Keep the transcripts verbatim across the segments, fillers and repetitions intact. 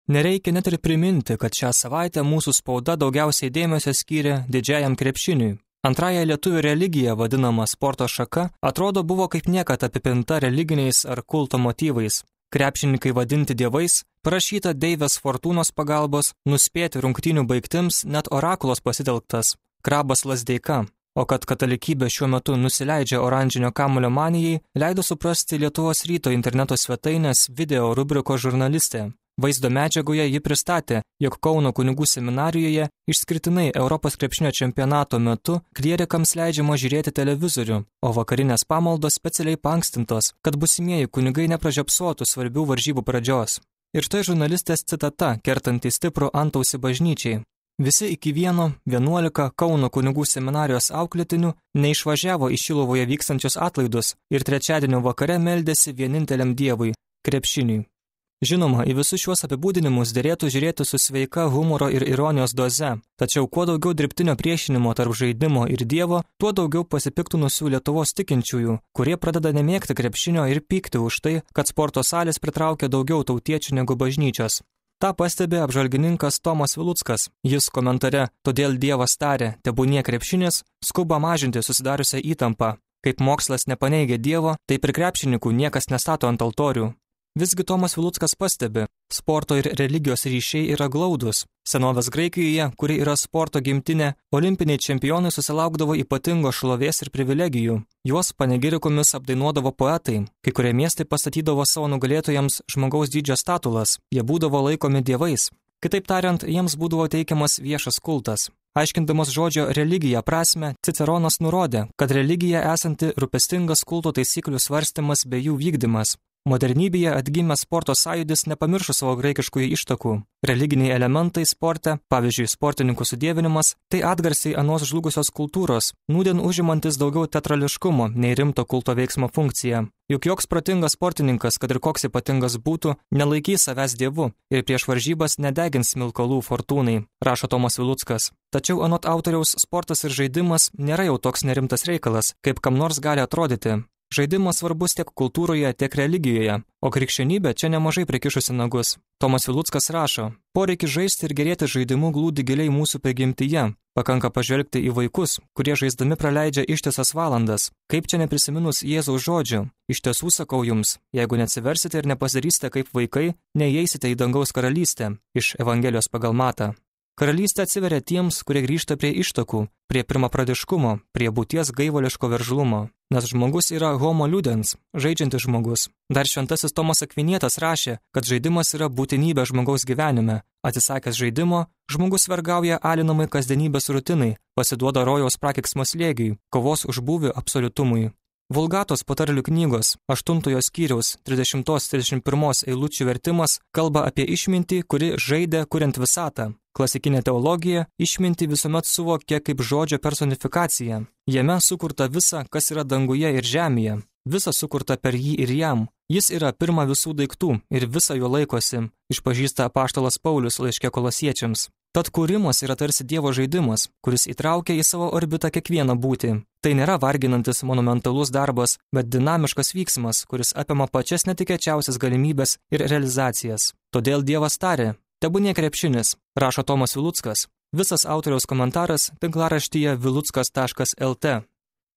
Nereikia net ir priminti, kad šią savaitę mūsų spauda daugiausiai dėmesio skyrė didžiajam krepšiniui. Antrąją lietuvių religiją vadinama sporto šaka atrodo buvo kaip niekad apipinta religiniais ar kulto motyvais. Krepšininkai vadinti dievais, prašyta Deivės Fortūnos pagalbos, nuspėti rungtynių baigtims net orakulos pasitelktas, krabas Lazdeika. O kad katalikybė šiuo metu nusileidžia oranžinio kamuolio manijai, leido suprasti Lietuvos ryto interneto svetainės video rubrikos žurnalistė. Vaizdo medžiagoje ji pristatė, jog Kauno kunigų seminarijoje išskirtinai Europos krepšinio čempionato metu klierikams leidžiama žiūrėti televizorių, o vakarinės pamaldos specialiai paankstintos, kad būsimieji kunigai nepražiopsotų svarbių varžybų pradžios. Ir štai žurnalistės citata, kertanti stiprų antausį bažnyčiai. Visi iki vieno, vienuolika Kauno kunigų seminarijos auklėtinių neišvažiavo į Šilovoje vykstančius atlaidus ir trečiadienio vakare meldėsi vieninteliam dievui – krepšiniui. Žinoma, į visus šiuos apibūdinimus derėtų žiūrėti su sveika humoro ir ironijos doze, tačiau kuo daugiau dirbtinio priešinimo tarp žaidimo ir dievo, tuo daugiau pasipiktinusių Lietuvos tikinčiųjų, kurie pradeda nemėgti krepšinio ir pykti už tai, kad sporto salės pritraukia daugiau tautiečių negu bažnyčios. Ta pastebi apžvalgininkas Tomas Viluckas. Jis komentare "Todėl Dievas tarė, tebūnie krepšinis", skuba mažinti susidariusią įtampą. Kaip mokslas nepaneigia Dievo, taip ir krepšininkų niekas nestato ant altorių. Visgi Tomas Viluckas pastebi, sporto ir religijos ryšiai yra glaudus. Senovės Graikijoje, kuri yra sporto gimtinė, olimpiniai čempionai susilaukdavo ypatingos šlovės ir privilegijų. Juos panegirikomis apdainuodavo poetai. Kai kurie miestai pastatydavo savo nugalėtojams žmogaus dydžio statulas. Jie būdavo laikomi dievais. Kitaip tariant, jiems būdavo teikiamas viešas kultas. Aiškindamas žodžio religija prasme, Ciceronas nurodė, kad religija esanti rūpestingas kulto taisyklių svarstymas bei jų vykdymas. Modernybėje atgimęs sporto sąjūdis nepamiršo savo graikiškųjų ištakų. Religiniai elementai sporte, pavyzdžiui, sportininkų sudėvinimas, tai atgarsiai anos žlugusios kultūros, nūdien užimantis daugiau teatrališkumo nei rimto kulto veiksmo funkciją. Juk joks protingas sportininkas, kad ir koks ypatingas būtų, nelaikys savęs dievu ir prieš varžybas nedegins smilkalų fortūnai, rašo Tomas Viluckas. Tačiau anot autoriaus sportas ir žaidimas nėra jau toks nerimtas reikalas, kaip kam nors gali atrodyti. Žaidimas svarbus tiek kultūroje, tiek religijoje, o krikščionybė čia nemažai prikišusi nagus. Tomas Viluckas rašo, poreikis žaisti ir gerėti žaidimu glūdi giliai mūsų prigimtyje. Pakanka pažvelgti į vaikus, kurie žaisdami praleidžia ištisas valandas. Kaip čia neprisiminus Jėzaus žodžių? Iš tiesų sakau jums, jeigu neatsiversite ir nepasidarysite kaip vaikai, neįeisite į dangaus karalystę, iš Evangelijos pagal Matą. Karalystė atsiveria tiems, kurie grįžta prie ištakų, prie pirmapradiškumo, prie būties gaivališko veržlumo. Nes žmogus yra homo ludens, žaidžiantis žmogus. Dar šventasis Tomas Akvinietis rašė, kad žaidimas yra būtinybė žmogaus gyvenime. Atsisakęs žaidimo, žmogus vergauja alinamai kasdienybės rutinai, pasiduoda rojaus prakeiksmo slėgiui, kovos už būvį absoliutumui. Vulgatos patarlių knygos aštuntojo skyriaus trisdešimtos trisdešimt pirmos eilučių vertimas kalba apie išmintį, kuri žaidė kuriant visatą. Klasikinė teologija išmintį visuomet suvokė kaip žodžio personifikaciją. Jame sukurta visa, kas yra danguje ir žemėje. Visa sukurta per jį ir jam. Jis yra pirma visų daiktų ir visą jo laikosi, išpažįsta apaštalas Paulius laiške Kolosiečiams. Tad kūrimas yra tarsi Dievo žaidimas, kuris įtraukia į savo orbitą kiekvieną būtį. Tai nėra varginantis monumentalus darbas, bet dinamiškas vyksmas, kuris apima pačias netikėčiausias galimybės ir realizacijas. Todėl Dievas tarė, tebūnie krepšinis, rašo Tomas Viluckas. Visas autoriaus komentaras tinklaraštyje viluckas taškas el te.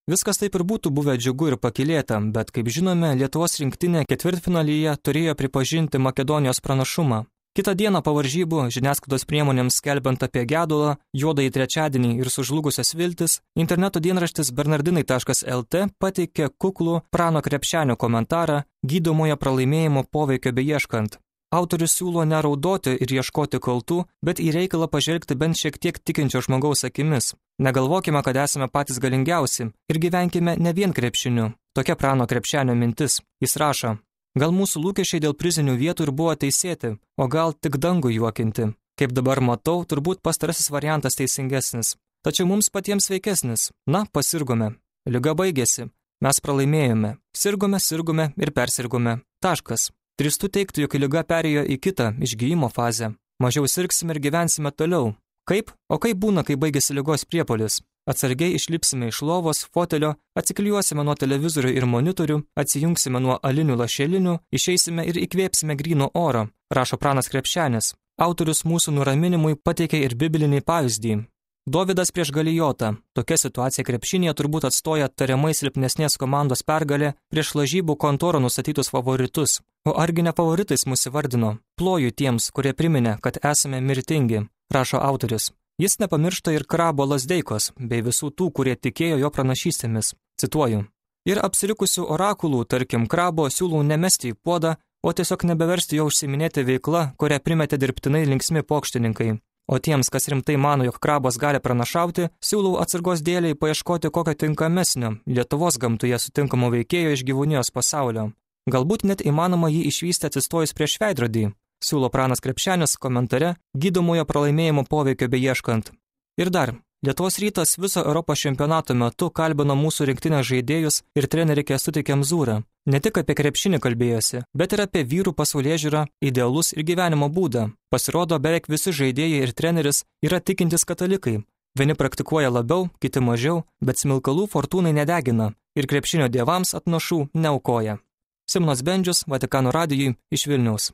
Viskas taip ir būtų buvę džiugu ir pakylėta, bet kaip žinome, Lietuvos rinktinė ketvirtfinalyje turėjo pripažinti Makedonijos pranašumą. Kitą dieną po varžybų, žiniasklaidos priemonėms skelbiant apie gedulą, juodąjį trečiadienį ir sužlugusias viltis, interneto dienraštis bernardinai taškas el te pateikė kuklų Prano Krepšenio komentarą gydomojo pralaimėjimo poveikio beieškant. Autorius siūlo neraudoti ir ieškoti kaltų, bet į reikalą pažvelgti bent šiek tiek tikinčio žmogaus akimis. Negalvokime, kad esame patys galingiausi ir gyvenkime ne vien krepšiniu. Tokia Prano Krepšenio mintis. Jis rašo, gal mūsų lūkesčiai dėl prizinių vietų ir buvo teisėti, o gal tik dangų juokinti. Kaip dabar matau, turbūt pastarasis variantas teisingesnis. Tačiau mums patiems sveikesnis. Na, pasirgome. Liga baigėsi. Mes pralaimėjome. Sirgome, sirgome ir persirgome. Taškas. Drįstu teigti, jog liga perėjo į kitą išgijimo fazę. Mažiau sirgsime ir gyvensime toliau. Kaip? O kaip būna, kai baigėsi ligos priepuolis? Atsargiai išlipsime iš lovos, fotelio, atsiklijuosime nuo televizorių ir monitorių, atsijungsime nuo alinių lašelinių, išeisime ir įkvėpsime gryno oro, rašo Pranas Krepšenis. autorius mūsų nuraminimui pateikė ir biblinį pavyzdį. Dovydas prieš Galijotą. Tokia situacija krepšinėje turbūt atstoja tariamai silpnesnės komandos pergalė prieš lažybų kontoro nustatytus favoritus. O argi ne favoritais mus įvardino? Ploju tiems, kurie priminė, kad esame mirtingi, rašo autorius. Jis nepamiršta ir Krabo Lazdeikos, bei visų tų, kurie tikėjo jo pranašystėmis. Cituoju. Ir apsirikusių orakulų, tarkim Krabo, siūlau nemesti į puodą, o tiesiog nebeversti jo užsiminėti veikla, kurią primetė dirbtinai linksmi pokštininkai. O tiems, kas rimtai mano, jog Krabas gali pranašauti, siūlau atsargos dėliai paieškoti kokio tinkamesnio Lietuvos gamtoje sutinkamo veikėjo iš gyvūnijos pasaulio. Galbūt net įmanoma jį išvysti atsistojus prieš veidrodį, siūlo Pranas Krepšenis komentare gydomojo pralaimėjimo poveikio beieškant. Ir dar, Lietuvos rytas viso Europos čempionato metu kalbino mūsų rinktinės žaidėjus ir trenerį Kęstutį Kemzūrą. Ne tik apie krepšinį kalbėjosi, bet ir apie vyrų pasaulėžiūrą, idealus ir gyvenimo būdą. Pasirodo, beveik visi žaidėjai ir treneris yra tikintys katalikai. Vieni praktikuoja labiau, kiti mažiau, bet smilkalų fortūnai nedegina ir krepšinio dievams atnašų neaukoja. Simonas Bendžius, Vatikano radijui iš Vilniaus.